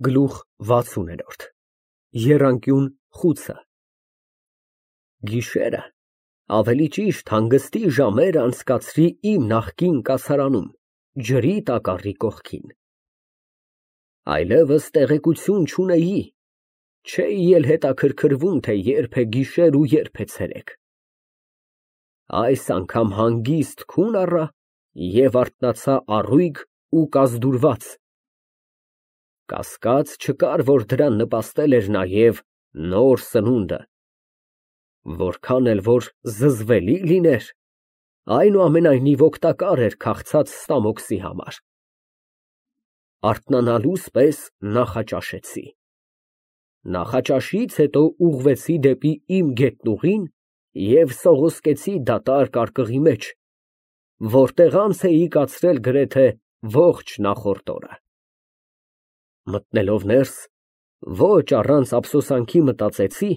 Գլուխ 60 Եռանկյուն խուցը Գիշերը, ավելի ճիշտ հանգստի ժամեր անցկացրի իմ նախկին կացարանում, ջրի տակառի կողքին։ Այլևս տեղեկություն չունեի, չէի էլ հետաքրքրվում, թե երբ է գիշեր ու երբ է ցերեկ։ Այս անգամ հանգիստ քուն առա և արթնացա առույգ ու կազդուրված։ Կասկած չկար, որ դրան նպաստել էր նաև նոր սնունդը, որքան էլ որ զզվելի լիներ, այնուամենայնիվ օգտակար էր քաղցած ստամոքսի համար։ Արթնանալուս պես նախաճաշեցի։ Նախաճաշից հետո ուղղվեցի դեպի իմ գետնուղին և սողոսկեցի դատարկ արկղի մեջ, որտեղ անց էի կացրել գրեթե ողջ նախորդ օրը։ Մտնելով ներս, ոչ առանց ափսոսանքի մտածեցի,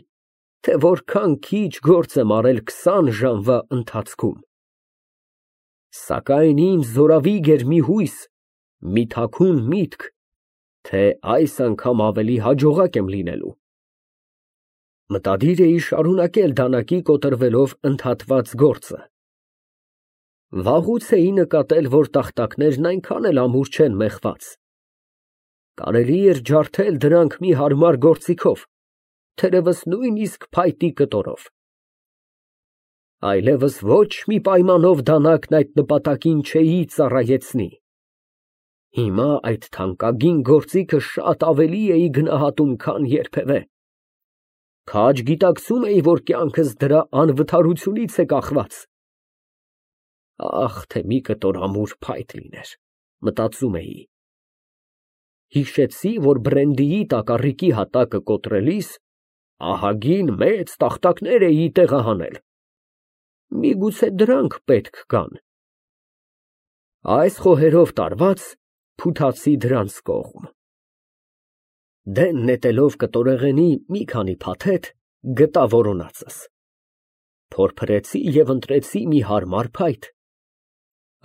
թե որքան քիչ գործ եմ արել 20 ժամվա ընթացքում։ Սակայն ինձ զորավիգ էր մի հույս, մի թաքուն միտք, թե այս անգամ ավելի հաջողակ եմ լինելու։ Մտադիր էի շարունակել դանակի կոտրվելով ընդհատված գործը։ Վաղուց էի նկատել, որ տախտակներն այնքան էլ ամուր չեն մեխված։ Կարելի էր ջարդել դրանք մի հարմար գործիքով, թերևս նույնիսկ փայտի կտորով։ Այլևս ոչ մի պայմանով դանակն այդ նպատակին չէի ծառայեցնի։ Հիմա այդ թանկագին գործիքը շատ ավելի էի գնահատում, քան երբևէ։ Քաջ գիտակցում էի, որ կյանքս դրա անվթարությունից է կախված։ Ահ, թե մի կտոր ամուր փայտ լիներ, մտածում էի։ Հիշեցի, որ բրենդիի տակառիկի հատակը կոտրելիս ահագին մեծ տախտակներ էի տեղահանել։ Միգուցե դրանք պետք գան։ Այս խոհերով տարված, փութացի դրանց կողմ։ Դեն նետելով կտորեղենի մի քանի փաթեթ, գտա որոնածս։ Փորփրեցի և ընտրեցի մի հարմար փայտ,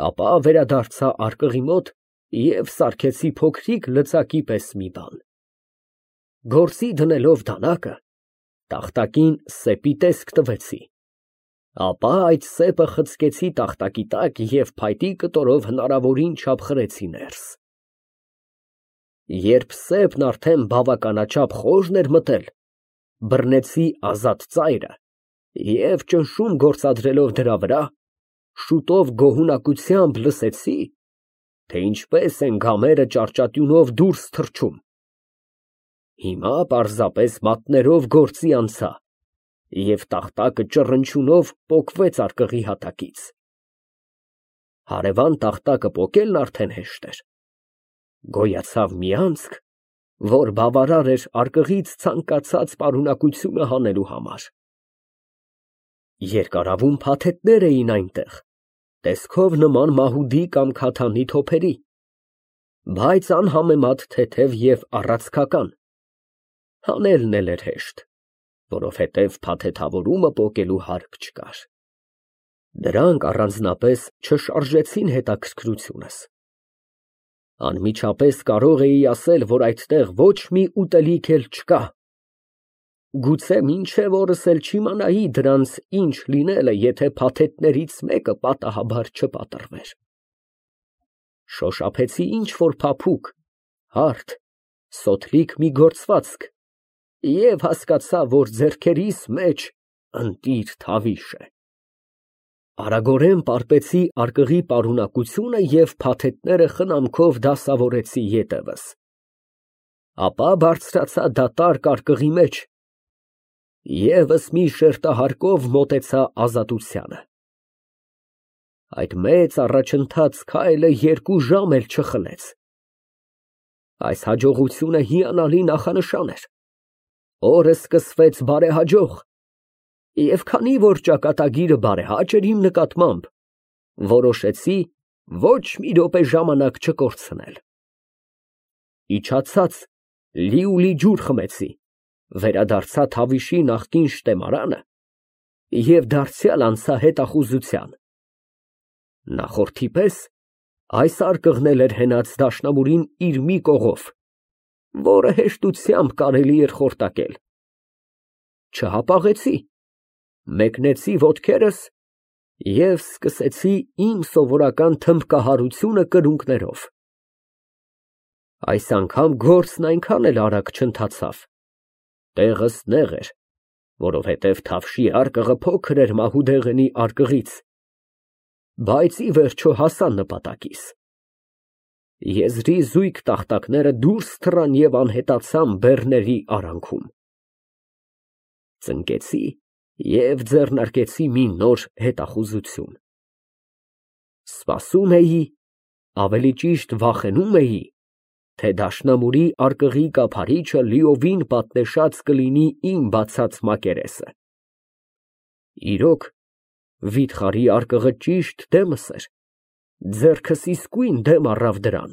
ապա վերադարձա արկղի մոտ և սարքեցի փոքրիկ լծակի պես մի բան։ Գործի դնելով դանակը, տախտակին սեպի տեսք տվեցի, ապա այդ սեպը խցկեցի տախտակի տակ և փայտի կտորով հնարավորին չափ խրեցի ներս։ Երբ սեպն արդեն բավականաչափ խորն էր մտել, բռնեցի ազատ ծայրը և ճնշում գործադրելով դրա վրա, շուտով գոհունակությամբ լսեցի, թե ինչպես են գամերը ճարճատյունով դուրս թռչում։ Հիմա պարզապես մատներով գործի անցա, և տախտակը ճռնչյունով պոկվեց արկղի հատակից։ Հարևան տախտակը պոկելն արդեն հեշտ էր։ Գոյացավ մի անցք, որ բավարար էր արկղից ցանկացած պարունակությունը հանելու համար։ Երկարավուն փաթեթներ էին այնտեղ, տեսքով նման մահուդի կամ քաթանի թոփերի, բայց անհամեմատ թեթև և առացքական։ Հանելն էլ էր հեշտ, որովհետև փաթեթավորումը պոկելու հարկ չկար։ Դրանք առանձնապես չշարժեցին հետաքրքրությունս։ Անմիջապես կարող էի ասել, որ այդտեղ ոչ մի ուտելիք էլ չկա։ Գուցե մինչև օրս էլ չիմանայի դրանց ինչ լինելը, եթե փաթեթներից մեկը պատահաբար չպատրվեր։ Շոշափեցի ինչ֊որ փափուկ, հարթ, սոթլիկ մի գործվածք և հասկացա, որ ձեռքերիս մեջ ընտիր թավիշ է։ Արագորեն պարպեցի արկղի պարունակությունը և փաթեթները խնամքով դասավորեցի ետևս։ Ապա բարձրացա դատարկ արկղի մեջ, ևս մի շերտահարկով մոտեցա ազատությանը։ Այդ մեծ առաջընթաց քայլը 2 ժամ էլ չխլեց։ Այս հաջողությունը հիանալի նախանշան էր։ Օրը սկսվեց բարեհաջող, և քանի որ ճակատագիրը բարեհաճ էր իմ նկատմամբ, որոշեցի ոչ մի րոպե ժամանակ չկորցնել։ Իջացած լիուլի ջուր խմեցի, վերադարձա թավիշի նախկին շտեմարանը և դարձյալ անցա հետախուզության։ Նախորդի պես այս արկղն էլ էր հենած դաշնամուրին իր մի կողով, որը հեշտությամբ կարելի էր խորտակել։ Չհապաղեցի, մեկնեցի ոտքերս և սկսեցի իմ սովորական թմբկահարությունը կրունկներով։ Այս անգամ գործն այնքան էլ արագ չընթացավ, տեղս նեղ էր, որովհետև Թավշի արկղը փոքր էր Մահուդեղենի արկղից, բայց ի վերջո հասա նպատակիս։ Եզրի զույգ տախտակները դուրս թռան և անհետացան բեռների արանքում։ Ծնկեցի և ձեռնարկեցի մի նոր հետախուզություն։ Սպասում էի, ավելի ճիշտ վախենում էի, թե դաշնամուրի արկղի կափարիչը լիովին պատնեշած կլինի իմ բացած մակերեսը։ Իրոք, վիթխարի արկղը ճիշտ դեմս էր, ձեռքս իսկույն դեմ առավ դրան։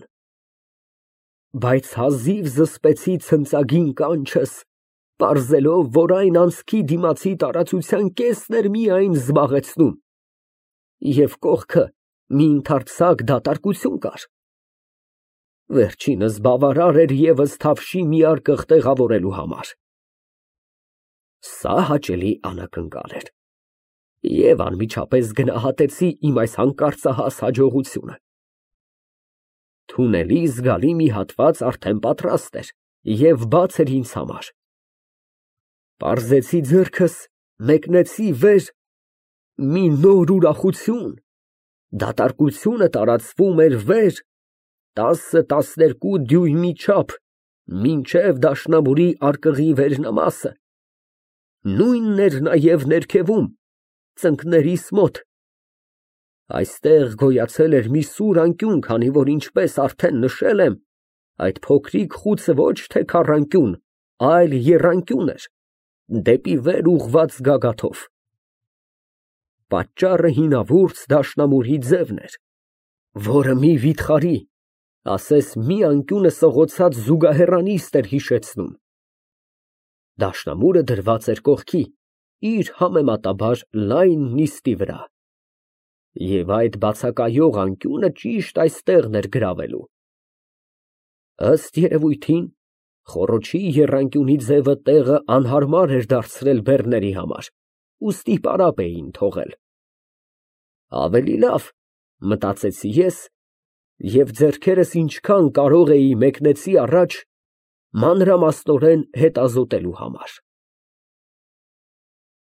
Բայց հազիվ զսպեցի ցնծագին կանչս, պարզելով, որ այն անցքի դիմացի տարածության կեսն էր միայն զբաղեցնում, և կողքը մի ընդարձակ դատարկություն կար։ Վերջինս բավարար էր ևս Թավշի մի արկղ տեղավորելու համար։ Սա հաճելի անակնկալ էր, և անմիջապես գնահատեցի իմ այս հանկարծահաս հաջողությունը։ Թունելի զգալի մի հատված արդեն պատրաստ էր և բաց էր ինձ համար։ Պարզեցի ձեռքս, մեկնեցի վեր, մի նոր ուրախություն, դատարկությունը տարածվում էր վեր, 10-12 դյույմի չափ, մինչև դաշնամուրի արկղի վերնամասը, նույնն էր նաև ներքևում, ծնկներիս մոտ։ Այստեղ գոյացել էր մի սուր անկյուն, քանի որ, ինչպես արդեն նշել եմ, այդ փոքրիկ խուցը ոչ թե քառանկյուն, այլ եռանկյուն էր, դեպի վեր ուղղված գագաթով։ Պատճառը հինավուրց դաշնամուրի ձևն էր, որը մի վիթխարի, ասես մի անկյունը սղոցած զուգահեռանիստ էր հիշեցնում։ Դաշնամուրը դրված էր կողքի, իր համեմատաբար լայն նիստի վրա, և այդ բացակայող անկյունը ճիշտ այստեղն էր գրավելու։ Ըստ երևույթին, խոռոչի եռանկյունի ձևը տեղը անհարմար էր դարձրել բեռների համար, ուստի պարապ էին թողել։ Ավելի լավ, մտածեցի ես, և ձեռքերս ինչքան կարող էի մեկնեցի առաջ, մանրամասնորեն հետազոտելու համար։